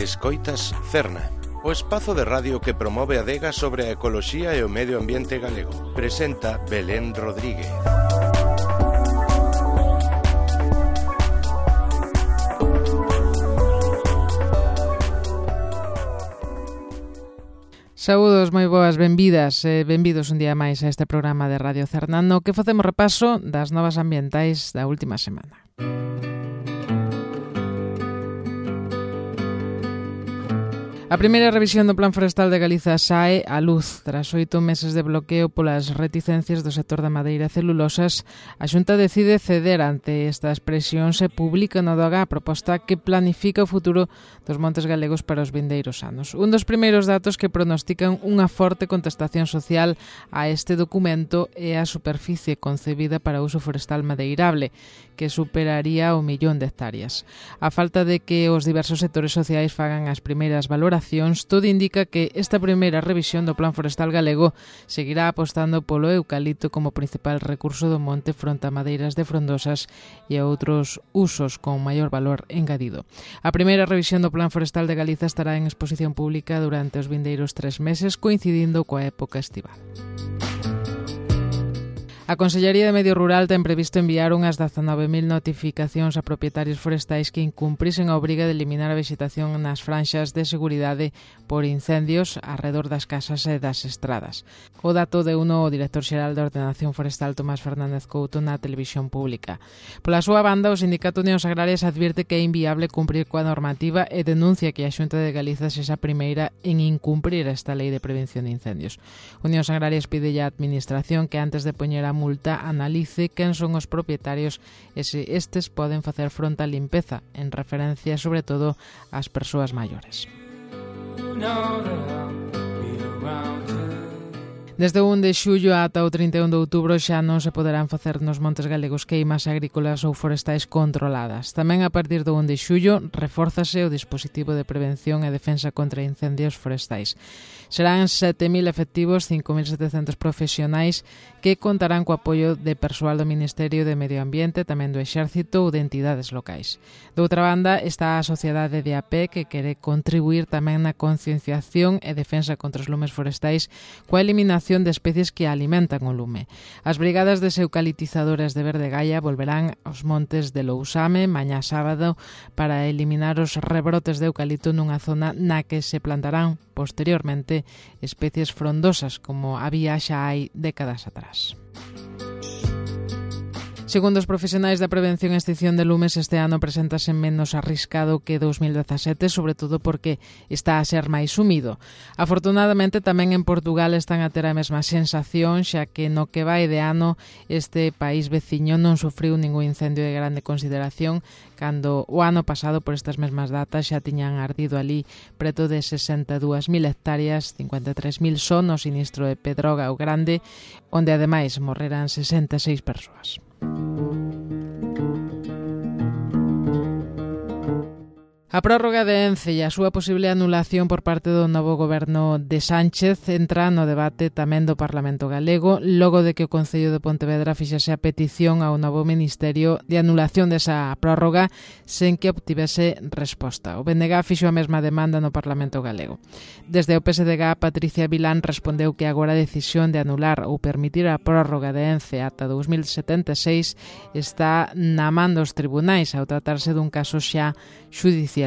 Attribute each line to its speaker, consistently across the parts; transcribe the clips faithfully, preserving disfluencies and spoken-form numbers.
Speaker 1: Escoitas Cerna, o espazo de radio que promove a adega sobre a ecoloxía e o medio ambiente galego. Presenta Belén Rodríguez.
Speaker 2: Saúdos, moi boas, benvidas e benvidos un día máis a este programa de Radio Cerna, no que facemos repaso das novas ambientais da última semana. A primeira revisión do Plan Forestal de Galiza sae á luz. Tras oito meses de bloqueo polas reticencias do sector da madeira e celulosas, a Xunta decide ceder ante estas presións e publica no D O G a proposta que planifica o futuro dos montes galegos para os vindeiros anos. Un dos primeiros datos que pronostican unha forte contestación social a este documento é a superficie concebida para uso forestal madeirable, que superaría o millón de hectáreas. A falta de que os diversos sectores sociais fagan as primeiras valoracións, todo indica que esta primeira revisión do Plan Forestal galego seguirá apostando polo eucalipto como principal recurso do monte fronte a madeiras de frondosas e a outros usos con maior valor engadido. A primeira revisión do Plan Forestal de Galiza estará en exposición pública durante os vindeiros tres meses, coincidindo coa época estival. A Consellería de Medio Rural ten previsto enviar unhas dezanove mil notificacións a propietarios forestais que incumprisen a obriga de eliminar a vexetación nas franxas de seguridade por incendios arredor das casas e das estradas. O dato de uno o director xeral de Ordenación Forestal Tomás Fernández Couto na televisión pública. Pola súa banda, o Sindicato Unións Agrarias advirte que é inviable cumprir coa normativa e denuncia que a Xunta de Galiza sexa a primeira en incumprir esta lei de prevención de incendios. Unións Agrarias pide á Administración que antes de poñer a multa analice quen son os propietarios e se estes poden facer fronte á limpeza, en referencia sobre todo ás persoas maiores. Desde o un de xullo ata o trinta e un de outubro xa non se poderán facer nos montes galegos queimas agrícolas ou forestais controladas. Tamén a partir do un de xullo refórzase o dispositivo de prevención e defensa contra incendios forestais. Serán sete mil efectivos, cinco mil setecentos profesionais que contarán co apoio de persoal do Ministerio de Medio Ambiente, tamén do Exército ou de entidades locais. De outra banda, está a sociedade de a pé que quere contribuir tamén na concienciación e defensa contra os lumes forestais coa eliminación de especies que alimentan o lume. As brigadas deseucaliptizadoras de Verde Gaia volverán aos montes de Lousame mañá sábado para eliminar os rebrotes de eucalipto nunha zona na que se plantarán posteriormente especies frondosas como había xa hai décadas atrás. Segundo os profesionais da prevención e extinción de lumes, este ano preséntase menos arriscado que dous mil dezasete, sobre todo porque está a ser máis húmido. Afortunadamente, tamén en Portugal están a ter a mesma sensación, xa que no que vai de ano este país veciño non sufriu ningún incendio de grande consideración, cando o ano pasado por estas mesmas datas xa tiñan ardido ali preto de sesenta e dúas mil hectáreas, cincuenta e tres mil só no sinistro de Pedroga o Grande, onde ademais morreran sesenta e seis persoas. A prórroga de Ence e a súa posible anulación por parte do novo goberno de Sánchez entra no debate tamén do Parlamento galego, logo de que o Concello de Pontevedra fixese a petición ao novo Ministerio de anulación desa prórroga sen que obtivese resposta. O B N G fixo a mesma demanda no Parlamento galego. Desde o P S D G, Patricia Vilán respondeu que agora a decisión de anular ou permitir a prórroga de Ence ata dous mil setenta e seis está na man dos tribunais ao tratarse dun caso xa xudicial.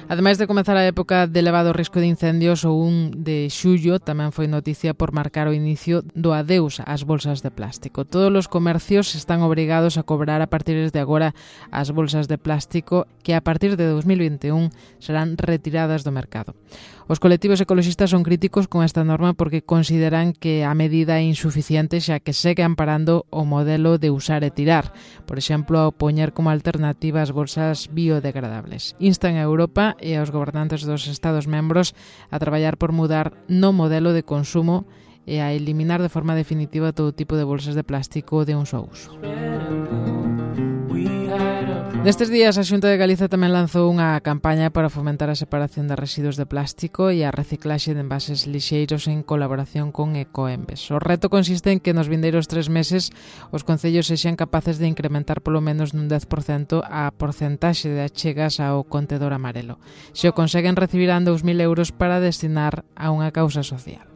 Speaker 2: Ademais de comezar a época de elevado risco de incendios, o un de xullo tamén foi noticia por marcar o inicio do adeus ás bolsas de plástico. Todos os comercios están obrigados a cobrar a partir de agora as bolsas de plástico que a partir de dous mil vinte e un serán retiradas do mercado. Os colectivos ecoloxistas son críticos con esta norma porque consideran que a medida é insuficiente xa que segue amparando o modelo de usar e tirar, por exemplo, ao poñer como alternativa as bolsas biodegradables. Instan a Europa e aos gobernantes dos Estados membros a traballar por mudar no modelo de consumo e a eliminar de forma definitiva todo tipo de bolsas de plástico de un só uso. Nestes días a Xunta de Galiza tamén lanzou unha campaña para fomentar a separación de residuos de plástico e a reciclaxe de envases lixeiros en colaboración con Ecoembes. O reto consiste en que nos vindeiros tres meses os concellos sexan capaces de incrementar polo menos nun dez por cento a porcentaxe de achegas ao contedor amarelo. Se o conseguen, recibirán dous mil euros para destinar a unha causa social.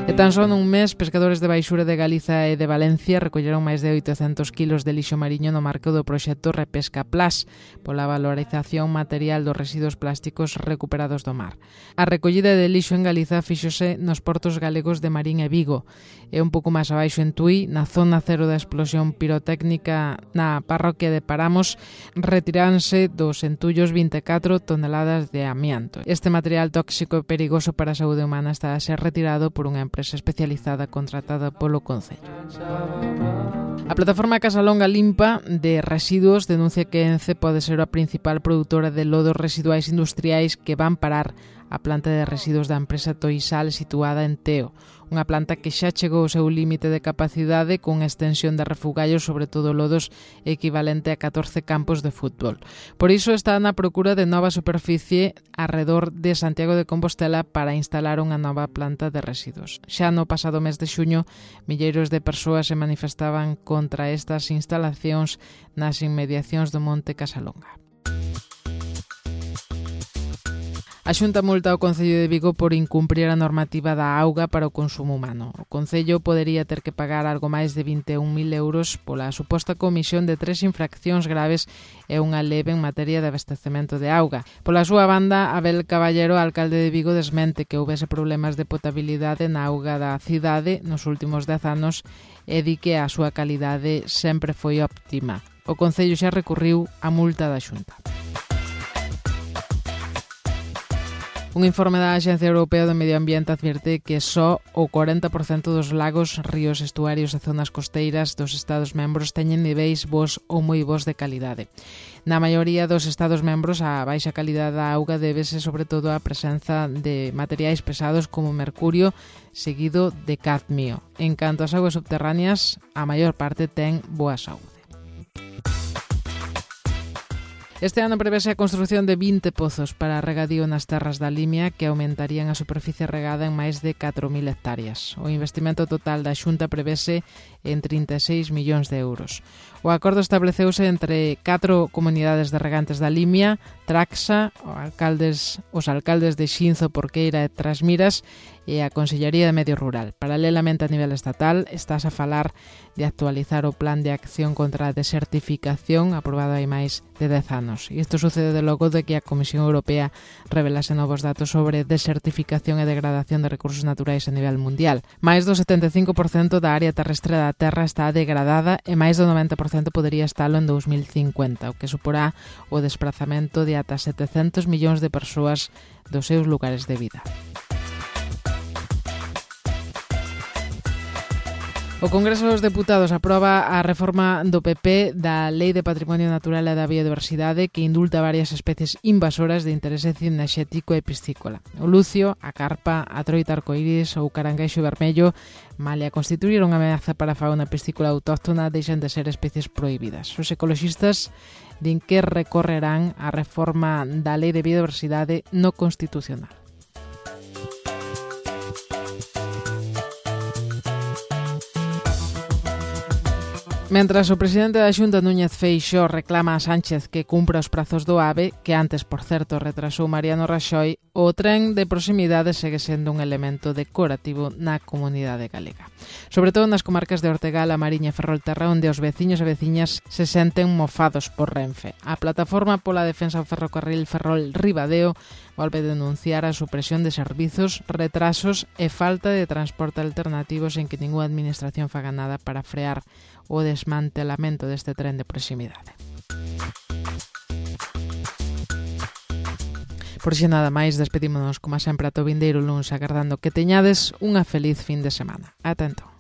Speaker 2: E tan só nun mes, pescadores de Baixura de Galiza e de Valencia recolleron máis de oitocentos kilos de lixo mariño no marco do proxecto Repesca Plus, pola valorización material dos residuos plásticos recuperados do mar. A recollida de lixo en Galiza fíxose nos portos galegos de Marín e Vigo, e un pouco máis abaixo en Tui, na zona cero da explosión pirotécnica na parroquia de Paramos, retiranse dos entullos vinte e catro toneladas de amianto. Este material tóxico e perigoso para a saúde humana está a ser retirado por unha empresa especializada contratada polo Concello. A plataforma Casalonga Limpa de Residuos denuncia que Ence pode ser a principal produtora de lodos residuais industriais que van parar a planta de residuos da empresa Toisal situada en Teo, unha planta que xa chegou ao seu límite de capacidade con extensión de refugallos, sobre todo lodos, equivalente a catorce campos de fútbol. Por iso está na procura de nova superficie arredor de Santiago de Compostela para instalar unha nova planta de residuos. Xa no pasado mes de xuño, milleiros de persoas se manifestaban contra estas instalacións nas inmediacións do Monte Casalonga. A Xunta multa ao Concello de Vigo por incumprir a normativa da auga para o consumo humano. O Concello podería ter que pagar algo máis de vinte e un mil euros pola suposta comisión de tres infraccións graves e unha leve en materia de abastecemento de auga. Pola súa banda, Abel Caballero, alcalde de Vigo, desmente que houvese problemas de potabilidade na auga da cidade nos últimos dez anos e di que a súa calidade sempre foi óptima. O Concello xa recurriu a multa da Xunta. Un informe da Axencia Europea do Medio Ambiente advirte que só o cuarenta por cento dos lagos, ríos, estuarios e zonas costeiras dos Estados membros teñen niveis bos ou moi bos de calidade. Na maioría dos Estados membros, a baixa calidade da auga débese sobre todo á presenza de materiais pesados como mercurio, seguido de cadmio. En canto ás augas subterráneas, a maior parte ten boa saúde. Este ano prevese a construción de vinte pozos para regadío nas terras da Limia que aumentarían a superficie regada en máis de catro mil hectáreas. O investimento total da Xunta prevese en trinta e seis millóns de euros. O acordo estableceuse entre catro comunidades de regantes da Limia, Traxa, os alcaldes, os alcaldes de Xinzo, Porqueira e Trasmiras e a Consellería de Medio Rural. Paralelamente a nivel estatal, estás a falar de actualizar o Plan de Acción contra a Desertificación aprobado hai máis de dez anos. E isto sucede de logo de que a Comisión Europea revelase novos datos sobre desertificación e degradación de recursos naturais a nivel mundial. Máis do setenta e cinco por cento da área terrestre da Terra está degradada e máis do noventa por cento podería estalo en dous mil cincuenta, o que suporá o desprazamento de ata setecentos millóns de persoas dos seus lugares de vida. O Congreso dos Deputados aproba a reforma do P P da Lei de Patrimonio Natural e da Biodiversidade que indulta varias especies invasoras de interese cinexético e piscícola. O lucio, a carpa, a troita arcoíris ou caranguexo vermello, malia constituir unha ameaza para a fauna piscícola autóctona, deixan de ser especies prohibidas. Os ecoloxistas din que recorrerán a reforma da Lei de Biodiversidade no Constitucional. Mentras o presidente da Xunta, Núñez Feixóo, reclama a Sánchez que cumpra os prazos do AVE, que antes, por certo, retrasou Mariano Raxoi, o tren de proximidade segue sendo un elemento decorativo na comunidade galega. Sobre todo nas comarcas de Ortegal, A Mariña e Ferrolterra, onde os veciños e veciñas se senten mofados por Renfe. A plataforma pola defensa do ferrocarril Ferrol-Ribadeo volve a denunciar a supresión de servizos, retrasos e falta de transporte alternativo sen que ninguna administración faga nada para frear o desmantelamento deste tren de proximidade. Por xe nada máis, despedímonos como sempre ata o vindeiro luns, agardando que teñades unha feliz fin de semana. Ata entón.